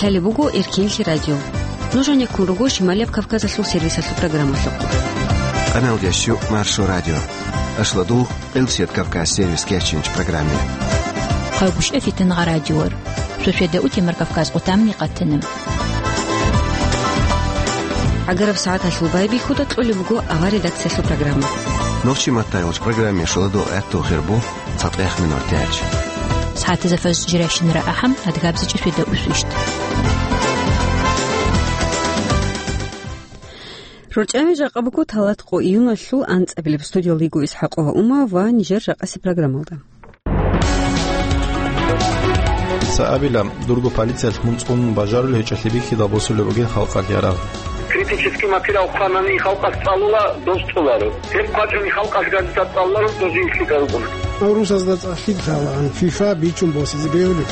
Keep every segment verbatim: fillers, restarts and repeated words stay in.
Лъалеб буго Эркенлъи радио. Нуж гьанеккун руго Шималияб Кавказалъул сервисалъул программалъухъ. Къаналдияс щу Маршо радио. Ашладул Къилсият Кавказ сервис кечинч программе. Хъагушев Фитнагъа радиор. Шошеда утемар Кавказ къутамни къатана. ГӀагараб сагӀаталъул байбихьуда кьолеб буго авар редакциялъул программа. Нохчи маттайгъуч программе шуладу гӀатту хирбу. ЦатӀех минор тяч. СагӀатазда фаз жиращинара ахӀам, адгабзичӀо шведа усвищт. РорчӀами жакъа буго талат къо июналъул анцӀабилеб. Студиялда йиго ИсхӀакъова Ума ва нижер жакъаси программалда. Цаабила, дурго полициялъ мун цӀун бажарулев гьечӀолъи бихьидал босулеб бугин халкъалъ ярагъ. Критический материал хъванани халкъалъ цӀалула, дос цӀоларо. Гьеб хъвачӀони халкъалъ газета цӀалуларо, дозие лъикӀал бун. Урусазда цӀалъи лъалаан ФИФА бичун босизе бегьулеб.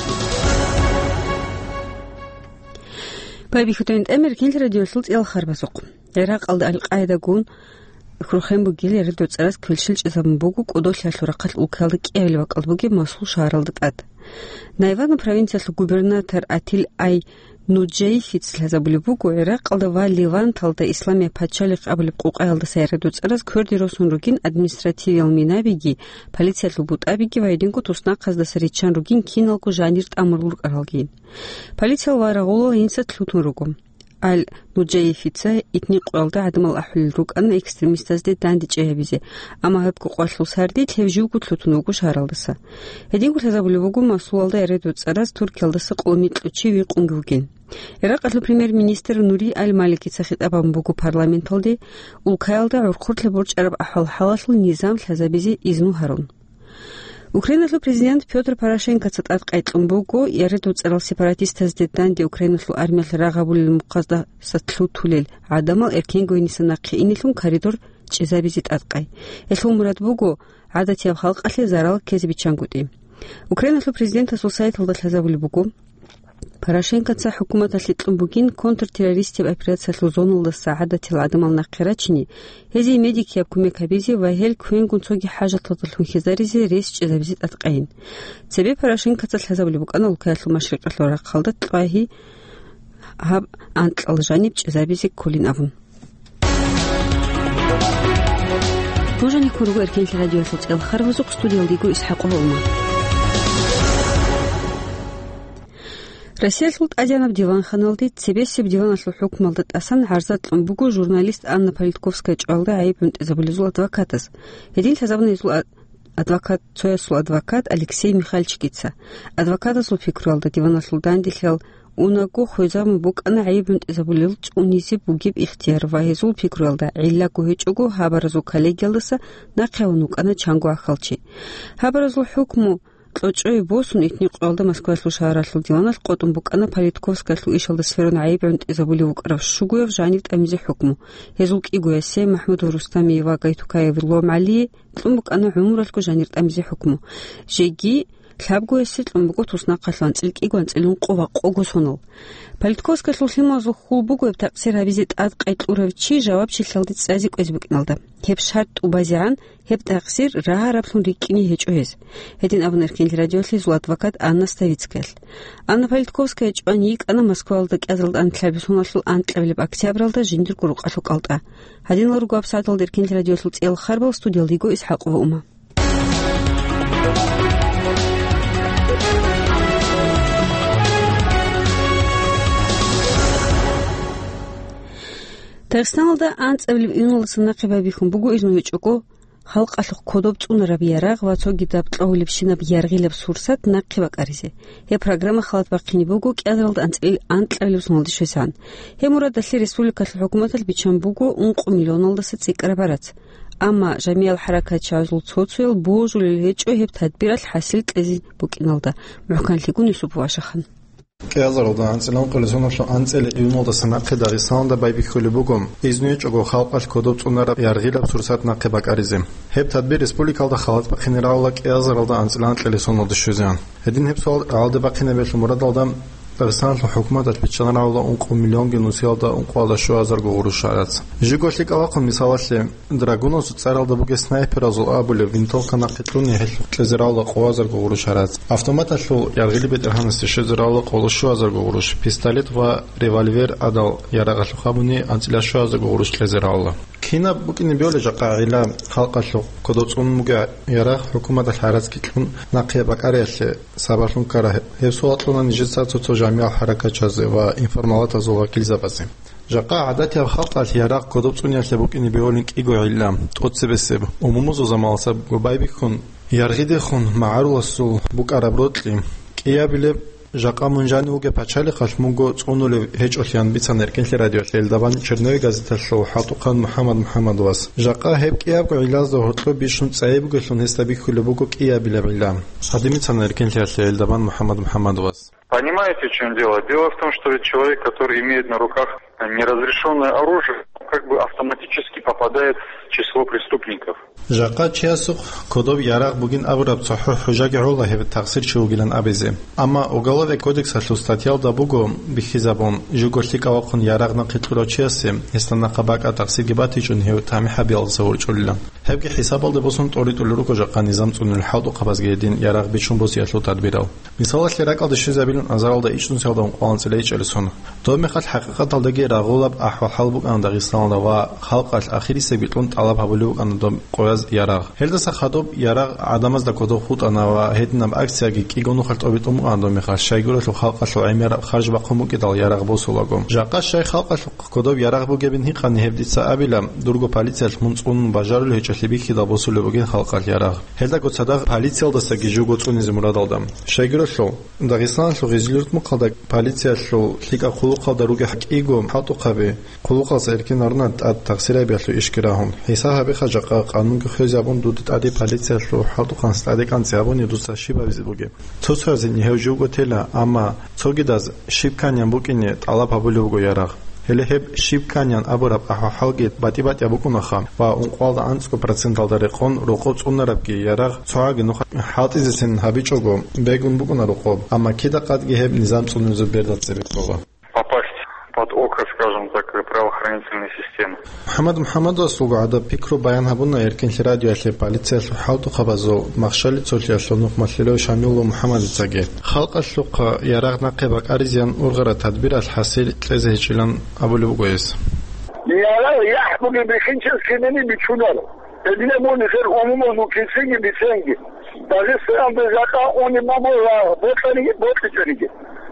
Байбихьудин тӀамер кинлъи радиолъул цӀел харбазухъ. ГӀиракъалда Аль-Къаидагун хурхен бугел яридуцӀараз квелщел чӀезабун буго кӀодолъиялъул рахъалъ улкаялда кӀиабилеб бакӀалда бугеб Мосул шагьаралда тӀад. Найвана провинциялъул губернатор Атил Ай Нуджаифица лъазабулеб буго, ГӀиракъалда ва Леванталда Исламияб пачалихъ абулеб къукъаялдаса яридуцӀараз кверде росун ругин административиял минабиги, полициялъул бутӀабиги ва гьединго туснахъаздаса риччан ругин киналго жанир тӀамурул рукӀаралги. Полициял ва рагъулал гьениса лъутун руго. Аль-Нуджаифица итни къоялда гӀадамал ахӀулел рукӀана экстремистазде дандечӀей гьабизе, амма гьеб къукъалъул сардилъ гьев живго лъутун вуго шагьаралдаса. Гьединго лъазабулеб буго Мосулалда яридуцӀараз Туркиялдаса къоло микьу чи викъунги вугин. Иракъалъул премьер-министр Нури Аль-Маликица хитӀаб гьабун буго парламенталде, улкаялда гӀурхъулъа борчӀараб ахӀвал-хӀалалъул низам лъазабизе изну гьарун. Украиналъул президент Пётр Порошенкоца тӀадкъай кьун буго, яридуцӀарал сепаратистазде данде Украиналъул армиялъ рагъ гьабулел мухъаздаса лъутулел гӀадамал эркенго гьениса нахъе инелъун коридор чӀезабизе тӀадкъай. Гьелъул мурад буго гӀадатияб халкъалъе зарал ккезе биччангутӀи. Украиналъул президентасул сайталда лъазабулеб буго, Порошенкоца хӀукуматалъе кьун бугин контртеррористияб операциялъул зоналдаса гӀадатиял гӀадамал нахъе рачине, гьезие медикияб кумек гьабизе ва гьел квенгун цоги хӀажаталдалъун хьизаризе рес чӀезабизе тӀадкъайин. Цебе Порошенкоца лъазабулеб букӀана улкаялъул машрикъалъул рахъалда кьвагьи гьаб анкьал жаниб чӀезабизе кколин абун. Нуж гьанеккун руго Эркенлъи радиоялъул цӀел харбазухъ, студиялда йиго ИсхӀакъова Ума. Россиялъул тӀадегӀанаб диванханалде цебесеб диваналъул хӀукмалда тӀасан гӀарза кьун буго журналист Анна Политковская чӀвалда гӀайиб гӀунтӀизабулезул адвокатас. Гьедин лъазабуна гьезул а-, адвокат, цоясул адвокат Алексей Михальчикица. Адвокатасул пикруялда, диваналъул данделъал унаго хвезабун букӀана гӀайиб гӀунтӀизабулел цӀунизе бугеб ихтияр ва гьезул пикруялда, гӀиллаго гьечӀого гьабаразул коллегиялдаса нахъе гьавун вукӀана чанго гӀахьалчи. Гьабаразул хӀукму кьочӀое босун, итни къоялда Москваялъул шагьаралъул диваналъ къотӀун букӀана Политковскаялъул ишалда сверун гӀайиб гӀунтӀизабулев вукӀарав щугояв жанив тӀамизе хӀукму. Гьезул кӀигоясе, МахӀмудов Рустамие ва Гайтукаев Ломгьалие, кьун букӀана гӀумралъго жанир тӀамизе хӀукму. Жеги лъабгоясе кьун буго туснахъалъув анцӀил кӀиго анцӀилун къо ва къого сонал. Политковскаялъул лъималазул хьул буго гьеб такъсир гьабизе тӀадкъай кьурав чи жавабчилъиялде цӀазе кӀвезе букӀиналда. Гьеб шартӀ тӀубазегӀан гьеб такъсир рагьараблъун рикӀкӀине гьечӀо гьез. Гьедин абуна Эркенлъи радиоялъ гьезул адвокат Анна Ставицкаялъ. Анна Политковская чӀван йикӀана Москваялда кӀиазаралда анлъабилеб соналъул анкьабилеб октябралда жиндирго рукъалъул кӀалтӀа. Гьадинал руго гьабсагӀаталда Эркенлъи радиоялъул цӀел харбал, студиялда йиго ИсхӀакъова Ума. Дагъистаналда анцӀабилеб июналдаса нахъе байбихьун буго изну гьечӀого халкъалъухъ кодоб цӀунараб ярагъ ва цогидаб кьогьулебщинаб яргъилаб сурсат нахъе бакӀаризе. Гьеб программа халат бахъине буго кӀиазаралда анцӀил-, анкьабилеб соналде щвезегӀан. Гьеб мурадалъе республикалъул хӀукуматалъ биччан буго ункъо миллионалдаса цӀикӀкӀараб барац. Амма жамигӀал хӀаракатчагӀазул цо-цоял божулел гьечӀо гьеб тадбиралъ хӀасил кьезе букӀиналда. МухӀканлъигун Юсупов Ашахан. КӀиазаралда анцӀила ункъоялда соналъул анцӀила июналдаса нахъе Дагъистаналда байбихьулеб буго, изну гьечӀого халкъалъ кодоб цӀунараб яргъилаб сурсат нахъе бакӀаризе. Гьеб тадбир республикалда халат бахъине рагӀула кӀиазаралда анцӀила анкьила соналде щвезегӀан. Гьедин гьеб суал рагӀалде бахъинабиялъул мурадалда Дагъистаналъул хӀукуматалъ биччанараб ункъо миллионги нусиялда ункъоялда щуазарго гъурущ гӀарац. Жиго лъикӀав вахъун, мисалалъе, драгуназул цӀаралда бугеб снайперазул абулеб винтовка нахъе кьуни гьелъухъ кьезе равла къоязарго гъурущ гӀарац. Автоматалъул яргъили бетӀергьанасе щвезе равла къоло щуазарго гъурущ, пистолет ва револьвер гӀадал ярагъалъухъ абуни анцӀила щуазарго гъурущ кьезе равла. Кинаб букӀине бегьулеб жакъа гӀилла халкъалъухъ кодоб цӀунун бугеб ярагъ хӀукуматалъ гӀарацги кьун нахъе бакӀариялъе сабаблъун ккараб? Гьеб суал кьуна нижеца цо-цо жамигӀал хӀаракатчиязе ва информалатазул вакилзабазе. Жакъа гӀадатияб халкъалъ ярагъ кодоб цӀуниялъе букӀине бегьулин кӀиго гӀилла, тӀоцебесеб, умумузул заманалдаса байбихьун, яргъидехун магӀаруласул букӀараб рокьи. КӀиабилеб, жакъа мун жанив вугеб пачалихъалъ мунго цӀунулев гьечӀолъиян бицана Эркенлъи радиоялъ Эльдабан Черновый газеталъул хӀалтӀухъан МухӀаммад МухӀаммадовас. Жакъа гьеб кӀиябго гӀиллазда гьоркьоб бищун цӀайи бугелъун гьесда бихьулеб буго кӀиабилеб гӀилла. Гьадин бицана Эркенлъиялъе Эльдабан МухӀаммад МухӀаммадовас. Понимаете, в чём дело? Дело в том, что ведь человек, который имеет на руках неразрешённое оружие, как бы автоматически попадает в число преступников. Жакъа чиясухъ кодоб ярагъ бугин абураб цохӀо хӀужаги гӀола гьеб тахсир чи вугилан абизе. Амма Уголовный кодексалъул статьялда буго бихьизабун, жуго лъикӀав вахъун ярагъ нахъе кьурав чиясе гьесда нахъа бакӀа тахсирги батичӀун гьев тамихӀабиялдаса ворчӀулилан. Гьебги хӀисабалде босун тӀоритӀулел руго жакъа низам цӀунел хӀалтӀухъабазги гьедин ярагъ бичун босиялъул тадбирал. Мисалалъе, ракӀалде щвезабилан азаралда ичӀнусиялда ункъоялда анцӀила ичӀалесун. Доб мехалъ хӀакъикъаталдаги рагъулаб ахӀвал-хӀал букӀана Дагъистаналда ва халкъалъ ахирисеб битӀун тӀалаб гьабулеб букӀана доб къояз ярагъ. Гьелдаса хадуб ярагъ гӀадамазда кодоб хутӀана ва гьединаб акцияги кӀиго нухалъ тӀобитӀун букӀана доб мехалъ, щайгурелъул халкъалъул гӀемераб харж бахъун букӀидал ярагъ босулаго. Жакъа щай халкъалъухъ кодоб ярагъ бугебин гьикъани гьеб дица абила, дурго полициялъ мун цӀунун бажарулев гьечӀолъи бихьидал босулеб бугин халкъалъ ярагъ. Гьелдаго цадахъ полициялдасаги жуго цӀунизе мурадалда. Щайгурелъул, Дагъистаналъул Гъизлюртмухъалда полициялъул лъикӀаб хъулухъалда ругел кӀиго хӀалтӀухъаби хъулухъалдаса эркин гьарунарин тӀад тахсир гьабиялъул ишги рагьун. ХӀисаб гьабиха жакъа къанунги хвезабун дуда тӀаде полициялъул хӀалтӀухъанас тӀаде кӀанцӀи гьабуни дуца щиб гьабизе бугеб. Цо-цоязе гьев живго тела, амма цогидаз щиб кканиян букӀине тӀалаб гьабулеб буго ярагъ. Гьеле гьеб щиб кканиян абураб ахӀвал-хӀалги батӀи-батӀияб букӀунаха ва ункъоялда анцӀго проценталда рекъон рокъоб цӀунарабги ярагъ цогӀаги нуха хӀалтӀизесин гьабичӀого бегун букӀуна рокъоб, амма кида-къадги гьеб низам цӀунизул берда цебе ккола. Попасть под око, скажем так, правоохранительной системы. МухӀаммад МухӀаммадовас вуго гӀадаб пикру баян гьабуна Эркенлъи радиоялъе полициялъул хӀалтӀухъабазул махщалицолъиялъул нухмалъилав Шамилов МухӀаммадицаги. Халкъалъухъа ярагъ нахъе бакӀаризеян ургъараб тадбиралъ хӀасил кьезе гьечӀилан абулеб буго гьес. Ярагъ яхӀ бугеб бихьинчияс кинани бичунар. Гьединаб мун нижер умумузул кицинги биценги. Дагъистаналда жакъа унеб буго рагъ бокьаниги бокьичӀониги.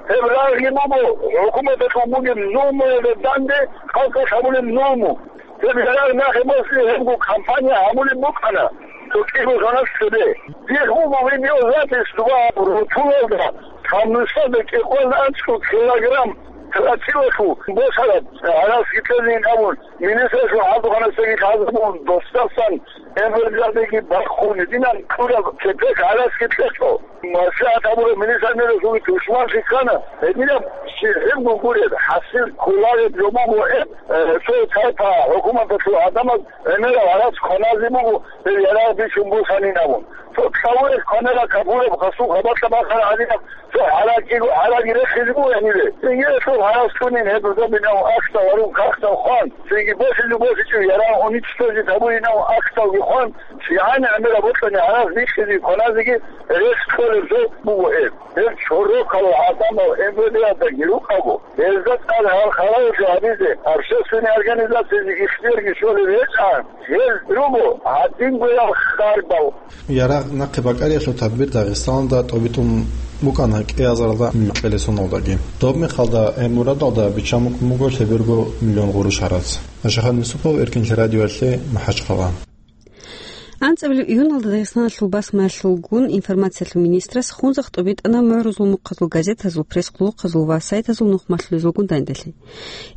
Гьеб рагъги буго хӀукуматалъул бугеб зулмуялда данде халкъалъ гьабулеб зулму. Гьеб ярагъ нахъе босизе гьебго кампания гьабулеб букӀана цо кӀиго соналъ цебе. Дихъ буго видеозапись, дуба рутулалда, камнусалда кӀикъоялда анцӀго килограмм тротилалъул босараб гӀарацги кьезейин абун, министралъул хӀалтӀухъанасдаги лъазабун, досдасан МВД-даги бахъун, гьединан кьураб кепек гӀарацги кьечӀо. МаслихӀат гьабураб милиционерасулги тушманлъи ккана. Гьединаб щиб гьебго гуреб, хӀасил кколареб жо буго гьеб, э, цо тайпа хӀукуматалъул гӀадамаз гӀемераб гӀарац кваназе буго, гьеб ярагъ бичун босанин абун. Цо кавураб кванараб капураб хасул хабалъа бахъараб гӀадинаб цо гӀаракиго, гӀараги рехизе буго гьанибе. Цинги гьелъул гӀарац кьунин гьеб рузабинав ахтав гьарун кахтав хъван, цинги босизе босичӀев ярагъ уничтожить гьабуринав ахтавги хъван, кигӀан гӀемераб бокьани гӀарац бихьизе кваназеги рес кколеб жо буго гьеб. Гьеб чорокал гӀадамал МВД-даги рукӀаго, гьезда тӀад гьал халалъи гьабизе общественный организациязе ихтиярги щолеб гьечӀан, гьез руго гьадингоял харбал. Ярагъ нахъе бакӀариялъул тадбир Дагъистаналда тӀобитӀун букӀана кӀиазаралда микьилесуналдаги. Доб мехалда гьеб мурадалда биччан букӀун буго лъеберго миллион гъурущ гӀарац. Ашихъан Юсупов, Эркенлъи радиоялъе, МахӀачхъала. АнцӀабилеб июналда Дагъистаналъул басмаялъулгун информациялъул министрас хунзахъ тӀобитӀана мугӀрузул мухъазул газетазул, пресс-хъулухъазул ва сайтазул нухмалъулезулгун данделъи.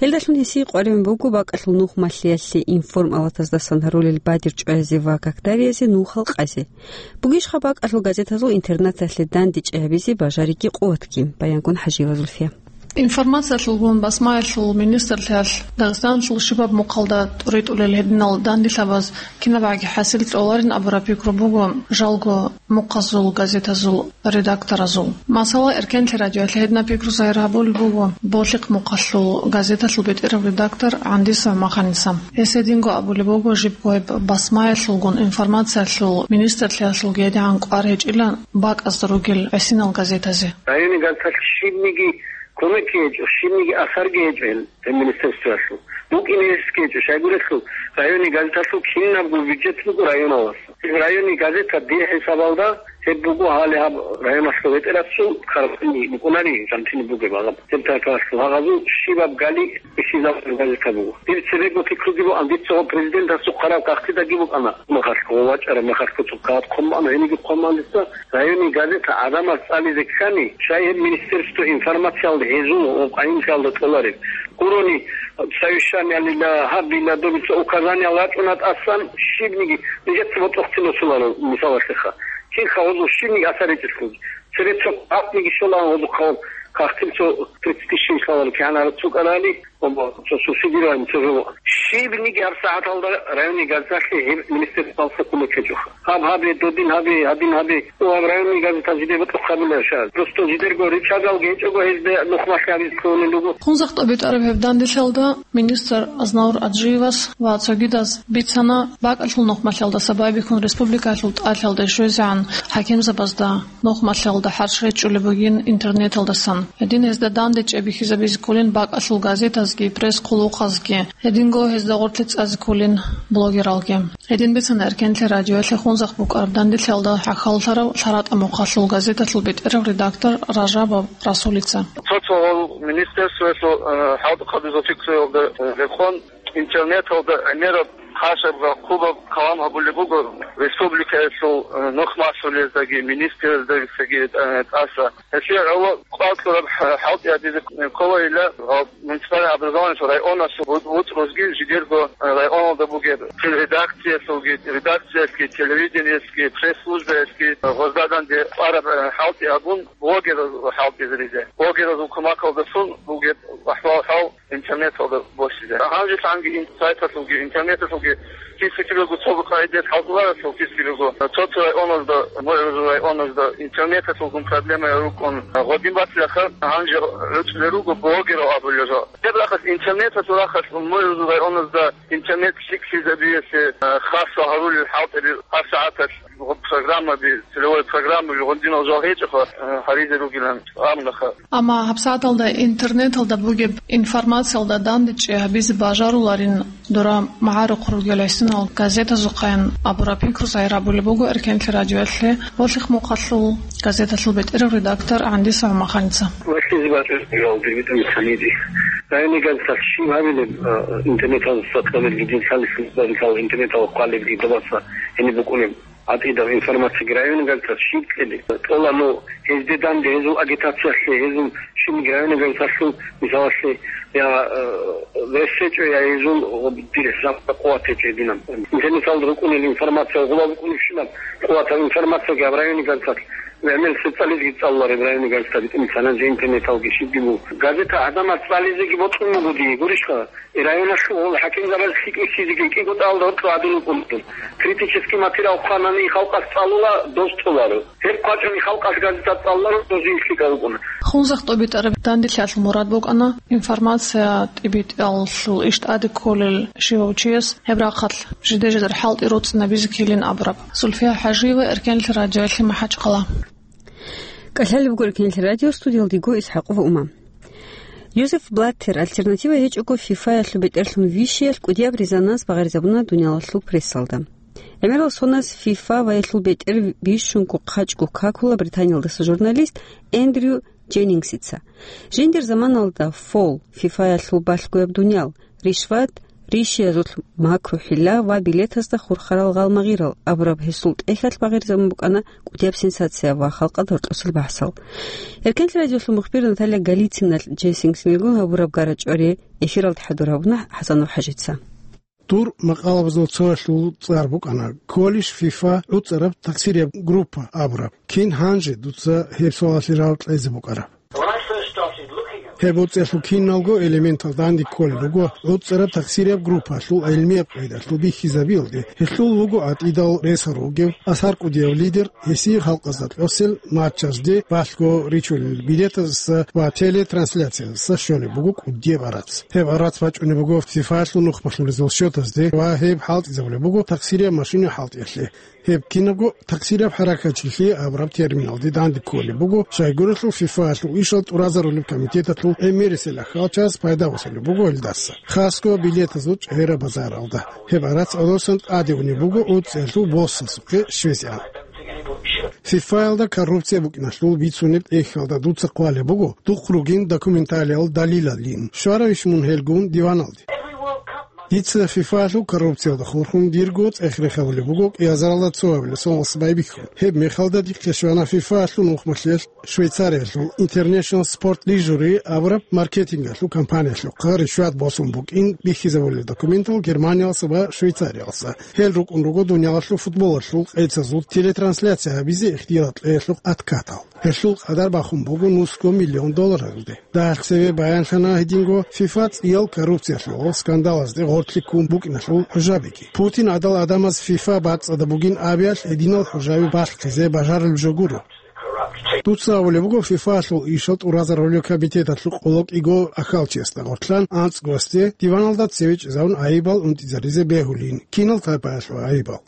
Гьелдалъун гьесие къваригӀун буго бакӀалъул нухмалъиялъе информалатаздасан гьарулел бадир чӀвазе ва какдариязе нухал къазе. Бугищха бакӀалъул газетазул интернеталъе дандечӀей гьабизе бажариги къуватги? Баянгун ХӀажиева Зульфия. Информациялъулгун басмаялъул министрлъиялъ Дагъистаналъул щибаб мухъалда тӀуритӀулел гьединал данделъабаз кинабгӀаги хӀасил кьоларин абураб пикру буго жалго мухъазул газетазул редакторазул. Масала, Эркенлъи радиоялъ гьединаб пикру загьир гьабулеб буго Болъихъ мухъалъул газеталъул бетӀерав редактор ГӀандиса ГӀумаханица. Гьес гьединго абулеб буго жибго гьеб басмаялъулгун информациялъул министрлъиялъулги гьедигӀан кӀвар гьечӀила бакӀазда ругел гӀисинал газетазе. Районный газеталъ щибниги кумекги гьечӀо, щибниги асарги гьечӀо гьел, гьел министерствоялъул. БукӀине гьесги гьечӀо, щайгурелъул районный газеталъул кинабго бюджет буго районалдаса. Гьеб районный газета дир хӀисабалда гьеб буго гьале гьаб районалъул бетӀерасул карантини букӀунари, карантини бугеб гьаб. Гьеб тайпаялъул гьагъазул щибаб гали бихьизабулеб газета буго. Дир цебего пикруги бугӀан, дица гъо президентасухъ хъараб кагътидаги букӀана, махалъго вачӀараб махалъго цо кагъат хъумаъана, гьениги хъумаъан дица. Районный газета гӀадамаз цӀализе ккани, щай гьеб министерство информациялда гьезул ва къайимлъиялда кьолареб. Гурони совещаниялила, гьабила, добица указаниялал рачӀуна тӀасан, щибниги нижеца ботӀохъин босуларо, мисалалъеха. Кинха гьозул щибниги асар гьечӀелъулги. Цебе цо къатниги щолаан гьозухъа кагътил цо тридцать тысяч лъаларо кигӀан гьарацукӀарали, Цо субсидирование цо жо. Щибниги гьабсагӀаталда районный газеталъе гьеб министерствоялъа кумек гьечӀоха. Гьаб гьабе, додин гьабе, гьадин гьабе. О, гьаб районный газета жиде бутӀухъ гьабиларищ? Просто жидерго ричӀадалги гьечӀого гьезда нухмалъи гьабизе кколел руго. Хунзахъ тӀобитӀараб гьеб данделъалда министр Азнавур Аджиевас ва цогидаз бицана, бакӀалъул нухмалъиялдаса байбихьун республикалъул тӀалъалде щвезегӀан хӀакимзабазда нухмалъиялда хӀарщ гьечӀулеб бугин интернеталдасан. Гьедин гьезда данде чӀебихьизабизе кколин бакӀалъул газетазги, пресс-хъулухъазги. Гьединго гьезда гъорлъе цӀазе кколин блогералги. Гьедин бицана Эркенлъи радиоялъе Хунзахъ букӀараб данделъиялда хӀахьаллъарав ЛъаратӀа мухъалъул газеталъул бетӀерав редактор Ражабов Расулица. Цо-цо гьал министерствоялъул, э, хӀалтӀухъабазул пикруялда, э, рекъон, интернеталда гӀемераб хъашаб ва хъубаб калам гьабулеб буго республикаялъул, э, нухмалъулездаги, министрзабицаги, э, тӀаса. Гьелъие гӀоло кӀвар кьураб хӀалтӀи гьабизе кколайила, гьал муниципальный образованиялъул районалъул вуц-, вуцӀрузги жидерго, э, районалда бугеб редакциялъулги, редакциялъги, телевидениялъги, пресс-службаялъги, э, гъоздаданде кӀвараб, э, хӀалтӀи гьабун, блогераз хӀалтӀизаризе. Блогеразул кумакалдасун бугеб ахӀвал-хӀал интернеталда босизе. Гьанжелъанги ин-, сайталъулги, интернеталъулги киса-кибего цо къагӀидаялъ хӀалтӀуларелъул киса-кибего цо-цо районазда, мугӀрузул районазда интернеталъулгун проблемаял рукӀун гъодин батилаха, гьанже гӀуцӀулел руго блогерал абулел жо. Гьеб рахъалъ интернеталъул рахъалъ мугӀрузул районазда интернет лъикӀлъизабиялъе, э, хасго гьарулел хӀалтӀаби гьабсагӀаталъ программаби, целевой программаби гъодинал жал гьечӀоха, э, гьаризе ругилан абунаха. Амма гьабсагӀаталда интернеталда бугеб информациялда дандечӀи гьабизе бажаруларин дора магӀарухъ ругел гӀисинал газетазухъаян абураб пикру загьир гьабулеб буго Эркенлъи радиоялъе Болъихъ мухъалъул газеталъул бетӀерав редактор ГӀандиса ГӀумаханица. Вахизе бачӀунеб жал дирбитӀун цаниди. Районный газеталъ щиб гьабилеб, а, интернеталдаса кьабилги дин лъалес базикал интернеталда хъвалебги добаса гьениб букӀунеб гӀатӀидал информацияги районный газеталъ щиб кьеде? ТӀола ну гьезде данде, гьезул агитациялъе, гьезул щибниги районный газеталъул, мисалалъе, я, э, вес гьечӀо, я гьезул дир хӀисабалда къуват гьечӀо гьединаб. Интернеталда рукӀунел информация гъуба букӀунебщинаб къуватаб информацияги гьаб районный газеталъ гӀемер цецализги цӀалулареб районный газета битӀун цананже интернеталги щибги буго. Газета гӀадамаз цӀализеги бокьун буго дие, гурищха? Районалъул гьол хӀакимзабаз лъикӀлъизеги кӀиго тӀалда гьоркьо гьадин вукӀун. Критический материал хъванани халкъалъ цӀалула, доз толаро. Гьеб хъвачӀони халкъалъ газета цӀалуларо, доз лъикӀал вукӀуна. Хунзахъ тӀобитӀараб данделъиялъул мурад букӀана информация тӀибитӀиялъул иш тӀаде кколел щивав чияс гьеб рахъалъ жиде-жидер хӀалтӀи роцӀцӀинабизе ккелин абураб. Зульфия ХӀажиева, Эркенлъи радиоялъе, МахӀачхъала. КӀалъалеб буго Эркенлъи радио, студиялда дие ИсхӀакъова Ума. Йозеф Блаттер альтернатива гьечӀого ФИФАялъул бетӀерлъун вищиялъ кӀудияб резонанс багъаризабуна дуниялалъул прессалда. ГӀемерал соназ ФИФА ваялъул бетӀер бищунго хъачӀго какула Британиялдаса журналист Эндрю Дженнингсица. Жиндир заманалда фол, ФИФАялъул балъгояб дуниял, ришват, рищиязулъ макру-хӀилла ва билетазда хурхарал гъалмагъирал абураб гьесул тӀехьалъ багъирзабун букӀана кӀудияб сенсация ва халкъалда гьоркьосел бахӀсал. Эркенлъи радиолъул мухбир Наталья Голицыналъ Дженнингсилгун гьабураб гара-чӀвари эфиралда хӀадур гьабуна ХӀасанов ХӀажица. Дур макъалабазул цоялъул цӀар букӀана: «Кколищ ФИФА гӀуцӀараб таксирияб группа?» абураб. Кин гьанже дуца гьеб суалалъе жаваб кьезе букӀараб? When I first started looking at Гьеб гӀуцӀиялъул киналго элементал данде кколел руго гӀуцӀараб такъсирияб группаялъул гӀилмияб къайдалъул бихьизабиялде, гьелъул лугу гӀатӀидал ресал ругев, асар кӀудияв лидер, гьесие халкъазда кьосел матчазде балъго ричулел билетаздаса ва телетрансляциязаса щолеб буго кӀудияб гӀарац. Гьеб гӀарац бачӀунеб буго ФИФАялъул нухмалъулезул счетазде ва гьеб хӀалтӀизабулеб буго такъсирияб машина хӀалтӀиялъе. Гьеб кинабго такъсирияб хӀаракатчилъи абураб терминалде данде кколеб буго, щайгурелъул ФИФАялъул ишал тӀуразарулеб комитеталъул гӀемерисел ахӀалчияс пайда босулеб буго гьелдаса, хасго билетазул чӀегӀераб базаралда. Гьеб гӀарац гӀодосан тӀаде унеб буго гӀуцӀиялъул боссасухъе щвезегӀан. ФИФАялда коррупция букӀиналъул бицунеб тӀехьалда дуца хъвалеб буго духъ ругин документалиал далилалин. Щваравищ мун гьелгун диваналде? Дица ФИФАялъул коррупциялда хурхун дирго цӀех-рех гьабулеб буго кӀиазаралда цо гьабулеб соналъ байбихьун. Гьеб мехалда дихъе щвана ФИФАялъул нухмалъиялъ Швейцариялъул International Sport Lijury абураб маркетингалъул компаниялъухъа ришват босун букӀин бихьизабулел документал Германиялса ва Швейцариялса. Гьел рукӀун руго дуниялалъул футболалъул къецазул телетрансляция гьабизе ихтияр кьеялъухъ откатал. Гьелъул къадар бахун буго нусго миллион долларалде. Дагьалъ цеве баянлъана гьединго ФИФА цӀиял коррупциялъул скандалазде гъоркьлъи ккун букӀиналъул хӀужабиги. Путин гӀадал гӀадамаз ФИФА бацӀцӀадаб бугин абиялъ гьединал хӀужаби балъхъизе бажарулеб жо гуро. Дуца абулеб буго ФИФАялъул ишал тӀуразарулел комитеталъул къоло кӀиго ахьалчиясда гъоркьлъан анцӀгоясде диваналда цеве чӀезавун гӀайибал унтӀизаризе бегьулин, кинал тайпаялъул гӀайибал.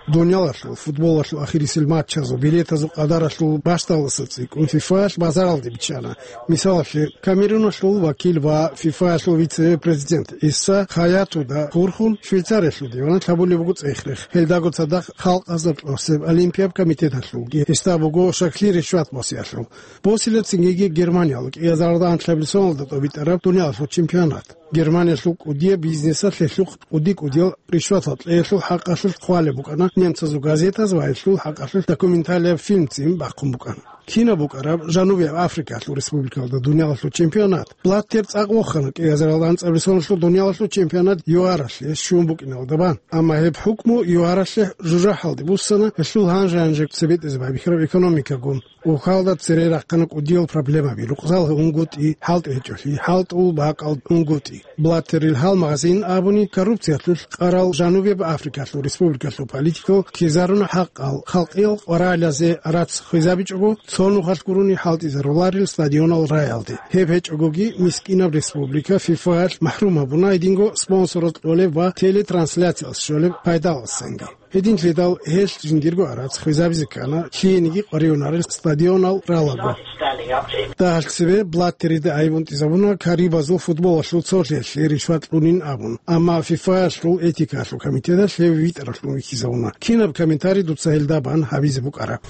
Дуниялалъул футболалъул ахирисел матчазул билетазул къадаралъул бащдалдаса цӀикӀкӀун ФИФАялъ базаралде биччана. Мисалалъе, Камеруналъул вакил ва ФИФАялъул вице-президент ГӀиса Хаятуда хурхун Швейцариялъул диванал гьабулеб буго цӀех-рех. Гьелдаго цадахъ халкъазда кьосеб Олимпияб комитеталъулги гьесда буго щаклъи ришват босиялъул. Босила цинги Германиялда кӀиазаралда анлъабилеб соналда тӀобитӀараб дуниялалъул чемпионат. Германиялъул кӀудияб бизнесалъ гьелъухъ кӀуди-кӀудиял ришватал кьеялъул хӀакъалъулъ хъвалеб букӀана немцазул газетаз ва гьелъул хӀакъалъулъ документалияб фильм цӀин бахъун букӀана. Кинаб букӀараб Жанубияб Африкаялъул республикалда дуниялалъул чемпионат? Блаттер цӀакъ вохана кӀиазаралда анцӀабилеб соналъул дуниялалъул чемпионат ЮАРалъе щун букӀиналда бан. Амма гьеб хӀукму ЮАРалъе жужахӀалде буссана, гьелъул гьанже-гьанже цебетӀезе байбихьараб экономикагун. Ухалда цере рахъана кӀудиял проблемаби, рукъзал унгутӀи, хӀалтӀи гьечӀолъи, хӀалтӀул бакӀал унгутӀи. Блаттерил гьалмагъазин абуни, коррупциялъулъ къарал Жанубияб Африкалъул республикалъул политикал ккезаруна хӀакъал, халкъиял къваралазе гӀарац хвезабичӀого, цо нухалъ гурони хӀалтӀизаруларел стадионал рагӀалде. Гьеб гьечӀогоги мискинаб республика ФИФАялъ махӀрум гьабуна гьединго спонсорал кьолеб ва телетрансляциялъ щолеб пайдаласанги. Гьединлъидал гьелъ жиндирго гӀарац хвезабизе ккана, лъиениги къваригӀунарел стадионал ралаго. Дагьалъ цебе Блаттерида гӀайиб унтӀизабуна карибазул футболалъул цолъиялъе ришват кьунин абун, амма ФИФАялъул этикаялъул комитеталъ гьев витӀаралъун вихьизабуна. Кинаб комментарий дуца гьелда бан гьабизе букӀараб?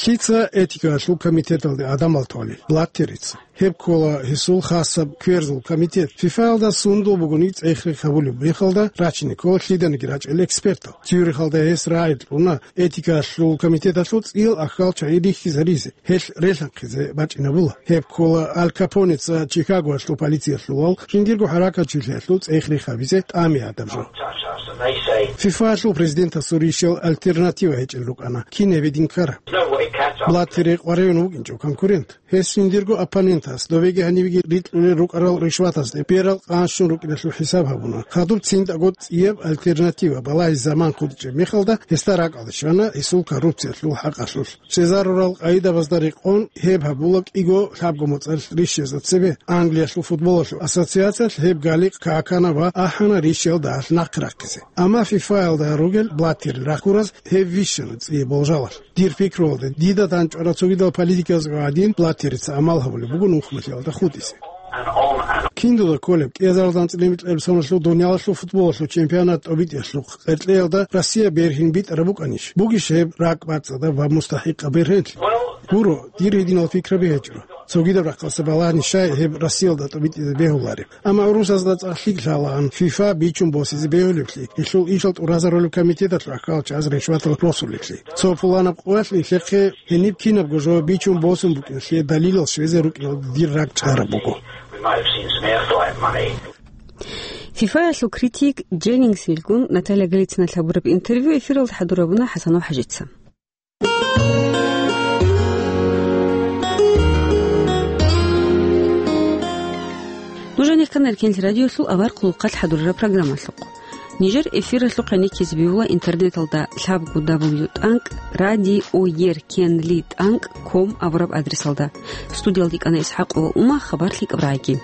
Лъица этикаялъул комитеталде гӀадамал толел? Блаттерица. Гьеб ккола гьесул хасаб кверзул комитет. ФИФАялда сундул бугони цӀех-рех гьабулеб мехалда рачине ккола лъиданиги рачӀел экспертал. Цюрихалда гьес рагӀи кьуна этикалъул комитеталъул цӀиял ахьал чагӀи рихьизаризе, гьелъ релъанхъизе бачӀинабула. Гьеб ккола Аль Капонеца Чикагоялъул полициялъулал жиндирго хӀаракатчилъиялъул цӀех-рех гьабизе тӀами гьадаб жо. ФИФАялъул президентасул ришал альтернатива гьечӀел рукӀана. Кин гьеб гьедин ккараб? Блаттере къваригӀун вукӀинчӀо конкурент. Гьес жиндирго оппонентас добеги гьанибеги рикьулел рукӀарал ришватазде берал къанщун рукӀиналъул хӀисаб гьабуна. Хадуб цинтӀаго цӀияб альтернатива балагьизе заман хутӀичӀеб мехалда, гьесда ракӀалде щвана гьесул коррупциялъул хӀакъалъулъ. Щвезарурал къагӀидабазда рекъон гьеб гьабула кӀиго лъабго моцӀалъ рищезда цебе. Англиялъул футболалъул ассоциациялъ гьеб галикъ какана ва ахӀана рищиялда гьалъ нахъе рахъизе. Амма ФИФАялда ругел Блаттерил рахъураз гьеб вищана цӀие болжалалъ. Дир пикруялда, дида дандчӀвараб цогидал политикаялъ гӀадин, Блаттерица амал гьабулеб буго нухмалъиялда хутӀизе. Киндуда кколеб, кӀиазаралда анцӀила микьабилеб соналъул дуниялалъул футболалъул чемпионат тӀобитӀиялъухъ къеркьеялда Россия бергьин битӀараб букӀанищ? Бугищ гьеб ракӀбацӀцӀадаб ва мустахӀикъаб бергьенлъи? Гуро, дир гьединал пикраби гьечӀо. Цогидаб рахъалъа балагьани щай гьеб Россиялда тӀобитӀизе бегьулареб. Амма гӀурусазда цӀакъ лъикӀ лъалаан ФИФА бичун босизе бегьулеблъи, гьелъул ишал тӀуразарулеб комитеталъул ахьалчаз ришватал росулеблъи. Цо пуланаб къоялъ нилъехъе гьениб кинабго жо бичун босун букӀиналъе далилал щвезе рукӀиналда дир ракӀ чӀараб буго. ФИФАялъул критик Дженнингс вилгун Наталья Голицыналъ гьабураб интервью эфиралда хӀадурабуна ХӀасанов ХӀажица. Жо нехъана Эркенлъи радиолъул авар хъулухъалъ хӀадурараб программалъухъ. Нижер эфиралъухъ гӀенеккизе бегьула интернеталда лъабго дабл ю тӀанкӀ радиоеркенли тӀанкӀ ком абураб адресалда. Студиялда кӀана ИсхӀакъ ва Ума, хабар лъикӀаб рагӀиги.